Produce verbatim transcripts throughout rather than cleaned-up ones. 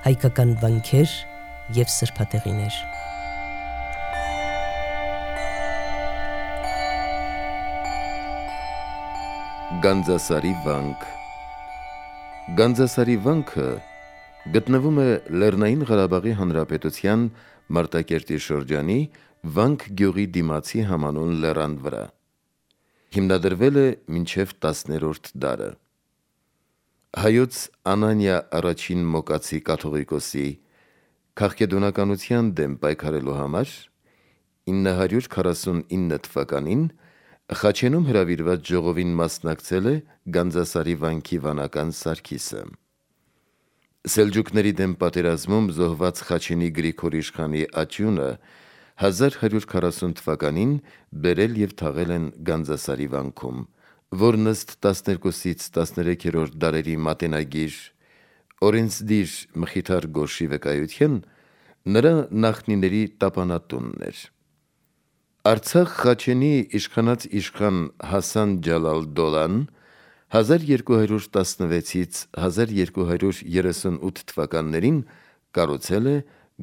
հայկական վանքեր և սրբատեղիներ։ Գանձասարի վանք։ Գանձասարի վանքը գտնվում է Լեռնային Ղարաբաղի Հանրապետության Մարտակերտի շրջանի Վանք գյուղի դիմացի համանուն լեռան վրա։ Հիմնադրվել է մինչև տասներորդ դարը։ Հայոց Անանիա առաջին Մոկացի կաթողիկոսի քաղաքեդոնականության դեմ պայքարելու համար ինը հարյուր քառասունինը թվականին Խաչենում հրավիրված ժողովին մասնակցել է Գանձասարի վանքի վանական Սարգիսը։ Սելջուկների դեմ պատերազմում զոհված Խաչենի Գրիգոր իշխանի աջունը հազար հարյուր քառասուն թվականին բերել և թաղել են Գանձասարի վանքում, որն ըստ տասներկուսից տասներեքերորդ դարերի մատենագիր Օրենսդիր Մխիթար Գոշի վկայության նրա նախնիների տապանատունն էր։ Արցախ Խաչենի իշխանած իշխան Հասան Ջալալ Դոլան հազար երկու հարյուր տասնվեցից հազար երկու հարյուր երեսունութ թվականներին կառուցել է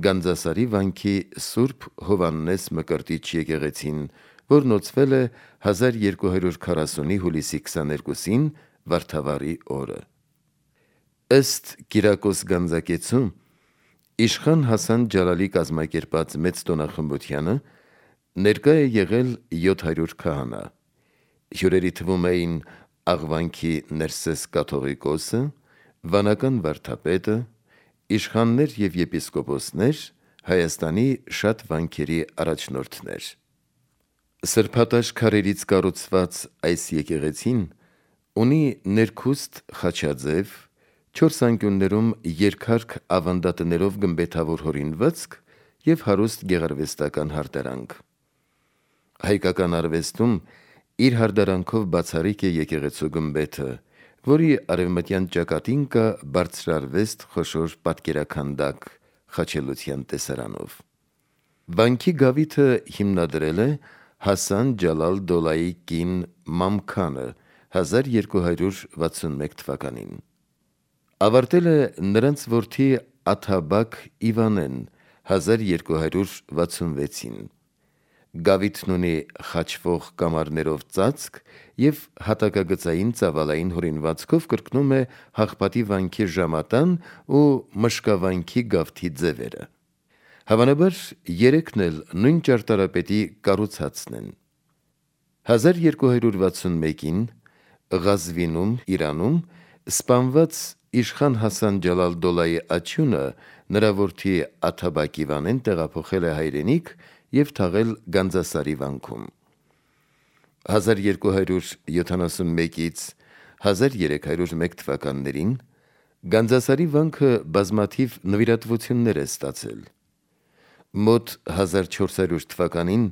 Գանձասարի վանքի Սուրբ Հովհաննես Մկրտիչ եկեղեցին, որն օծվել է հազար երկու հարյուր քառասունի հուլիսի քսաներկուսին Վարդավառի օրը։ Ըստ Կիրակոս Գանձակեցու, իշխան Հասան Ջալալի կազմակերպած մեծ տոնախմբությանը ներկա է եղել յոթ հարյուր քահանա։ Հյուրերի թվում էին Աղվանքի Ներսես կաթողիկոսը, վանական վարդապետը, իշխաններ և եպիսկոպոսներ, Հայաստանի շատ վանքերի առաջնորդներ։ Սրբատաշ քարերից կառուցված այս եկեղեցին ունի ներքուստ խաչաձև, չորս անկյուններում երկհարկ ավանդատներով գմբեթավոր հորինվածք և հարուստ գեղարվեստական հարդարանք։ Հայկական արվեստում իր հարդարանքով բացառիկ է եկեղեցու գմբեթը, որի արևմտյան ճակատին կա բարձրարվեստ խոշոր պատկերաքանդակ խաչելության տեսարանով։ Վանքի գավիթը հիմնադրել է Հասան Ջալալ Դոլայի կին Մամքանը հազար երկու հարյուր վաթսունմեկ թվականին։ Ավարտել է նրանց որդի Աթաբակ Իվանեն հազար երկու հարյուր վաթսունվեցին։ Գավիթն ունի խաչվող կամարներով ծածկ և հատակագծային ծավալային հորինվածքով կրկնում է Հաղպատի վանքի ժամատան ու Մշկավանքի գավթի ձևերը։ Հավանաբար երեքն էլ նույն ճարտարապետի կառուցածն են։ հազար երկու հարյուր վաթսունմեկին Ղազվինում, Իրանում սպանված իշխան Հասան Ջալալ Դոլայի աջունը նրա որդի Աթաբակ Իվանեն տեղափոխել է հայրենիք և թաղել Գանձասարի վանքում։ հազար երկու հարյուր յոթանասունմեկից հազար երեք հարյուր մեկ թվականներին Գանձասարի վանքը բազմաթիվ նվիրատվություններ է ստացել։ Մոտ հազար չորս հարյուր թվականին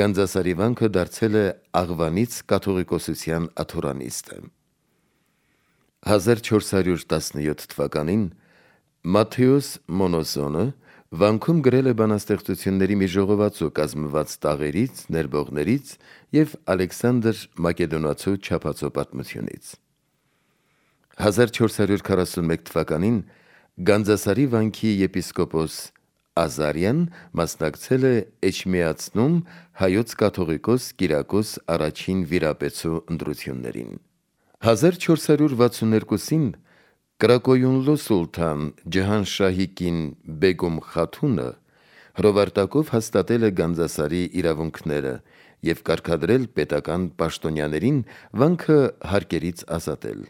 Գանձասարի վանքը դարձել է Աղվանից կաթողիկոսության աթոռանիստը։ հազար չորս հարյուր տասնյոթ թվականին Մատթեոս Մոնոսոնը վանքում գրել է բանաստեղծությունների մի ժողովածու կազմված տաղերից, ներբողներից և Ալեքսանդր Մակեդոնացու չափածո պատմությունից։ հազար չորս հարյուր քառասունմեկ թվականին Գանձասարի վանքի եպիսկոպոս Ազարյան մասնակցել է Էջմիածնում հայոց կաթողիկոս Կիրակոս առաջին վիրապետու ընտրություններին։ հազար չորս հարյուր վաթսուներկուսին Կրակոյունլու սուլթան Ջահանշահի կին Բեգում Խաթունը հրովարտակով հաստատել է Գանձասարի իրավունքները և կարգադրել պետական պաշտոնյաներին վանքը հարկերից ազատել։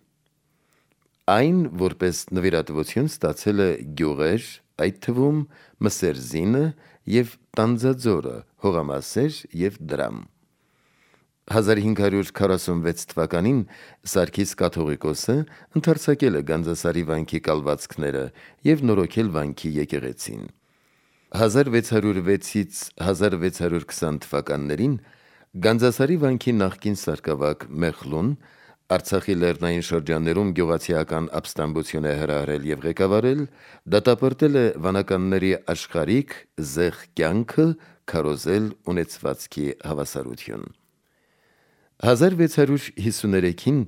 Այն որպես նվիրատվություն ստացել է գյուղեր, այդ թվում Մսերզինը և Տանձաձորը, Հողամասեր և Դրամ։ հազար հինգ հարյուր քառասունվեց թվականին Սարգիս կաթողիկոսը ընդարձակել է Գանձասարի վանքի կալվածքները և նորոգել վանքի եկեղեցին։ հազար վեց հարյուր վեցից հազար վեց հարյուր քսան թվականներին Գանձասարի վանքի նախկին սարկավակ Մեխլուն Արցախի լեռնային շրջաններում գյուղացիական ապստամբություն է հրահրել և ղեկավարել, դատապարտել է վանականների աշխարհիկ զեղ կյանքը, քարոզել ունեցվածքի հավասարություն։ հազար վեց հարյուր հիսուներեքին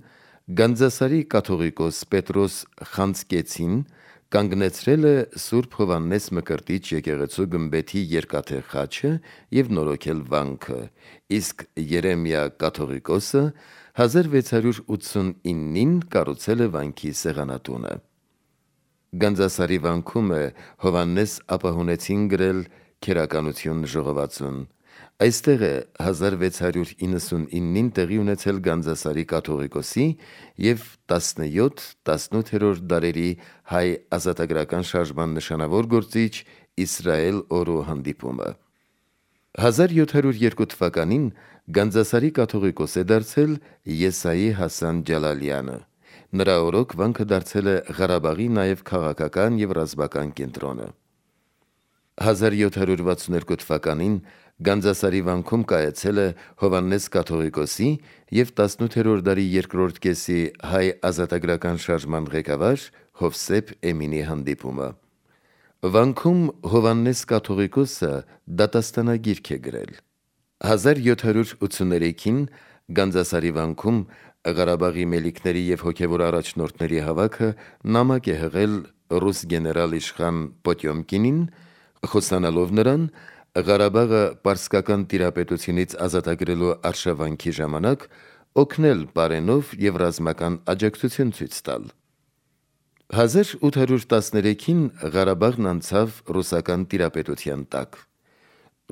Գանձասարի կաթողիկոս Պետրոս Խանձկեցին կանգնեցրել է Սուրբ Հովհաննես Մկրտիչ եկեղեցու գմբեթի երկաթե խաչը եւ նորոգել վանքը, իսկ Երեմիա կաթողիկոսը հազար վեց հարյուր ութսունինին կառուցել է վանքի սեղանատունը։ Գանձասարի վանքում է Հովհաննես ապահունեցին գրել քերականություն ժողովածուն։ Այստեղ է հազար վեց հարյուր իննսունինին տեղի ունեցել Գանձասարի կաթողիկոսի եւ տասնյոթ-տասնութերորդ դարերի հայ ազատագրական շարժման նշանավոր գործիչ Իսրայել Օրու հանդիպումը։ հազար յոթ հարյուր երկու թվականին Գանձասարի կաթողիկոս է դարձել Եսայի Հասան Ջալալյանը։ Նրա օրոք վանքը դարձել է Ղարաբաղի նաև քաղաքական եւ ռազմական կենտրոնը։ հազար յոթ հարյուր վաթսուններկու թվականին Գանձասարի վանքում կայացել է Հովհաննես կաթողիկոսի եւ տասնութերորդ դարի երկրորդ կեսի հայ ազատագրական շարժման ղեկավար Հովսեփ Էմինի հանդիպումը։ Վանքում Հովհաննես կաթողիկոսը դատաստանագիրք է գրել։ հազար յոթ հարյուր ութսուներեքին Գանձասարի վանքում Ղարաբաղի մելիքների եւ հոգեվոր առաջնորդների հավաքը նամակ է հղել ռուս գեներալ իշխան Պոտյոմկինին, խոսանալով նրան Ղարաբաղը պարսկական տիրապետությունից ազատագրելու արշավանքի ժամանակ օգնել պարենով եւ ռազմական աջակցություն ցույց տալ։ հազար ութ հարյուր տասներեքին Ղարաբաղն անցավ ռուսական տիրապետության տակ։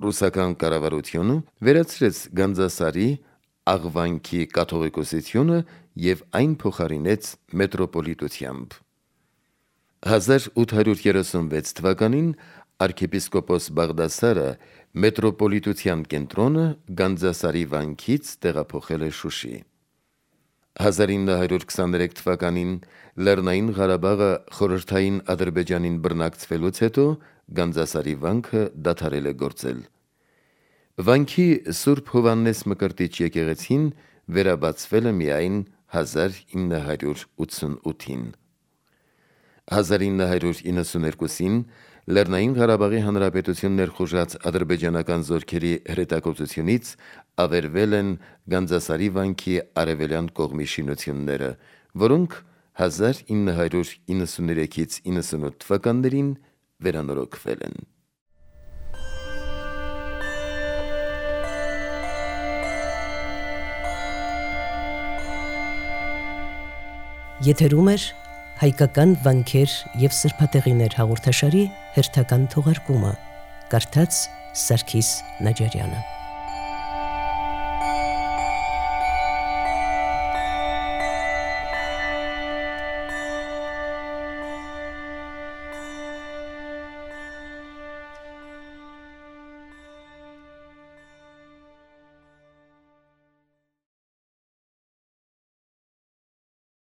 Ռուսական կառավարությունը վերացրեց Գանձասարի աղվանքի կաթողիկոսությունը եւ այն փոխարինեց մետրոպոլիտությամբ։ հազար ութ հարյուր երեսունվեց թվականին arczepiskopos Բաղդասարը մետրոպոլիտության կենտրոնը Գանձասարի վանքից տեղափոխել է Շուշի։ հազար ինը հարյուր քսաներեք թվականին Լեռնային Ղարաբաղը խորհրդային Ադրբեջանին բռնակցվելուց հետո Գանձասարի վանքը դադարել է գործել։ Վանքի Սուրբ Հովհաննես Մկրտիչ եկեղեցին վերաբացվել է միայն հազար ինը հարյուր ութսունութին։ հազար ինը հարյուր իննսուներկուսին Լեռնային Ղարաբաղի Հանրապետություն ներխուժած ադրբեջանական զորքերի հրետակոծությունից ավերվել են Գանձասարի վանքի արևելյան կողմի շինությունները, որոնք հազար ինը հարյուր իննսուներեքից իննսունութ թվականներին վերանորոգվել են։ Եթերում է հայկական վանքեր եւ սրբատեղիներ հաղորդաշարի հերթական թողարկումը։ Կարդաց Սարգիս Նաջարյանը։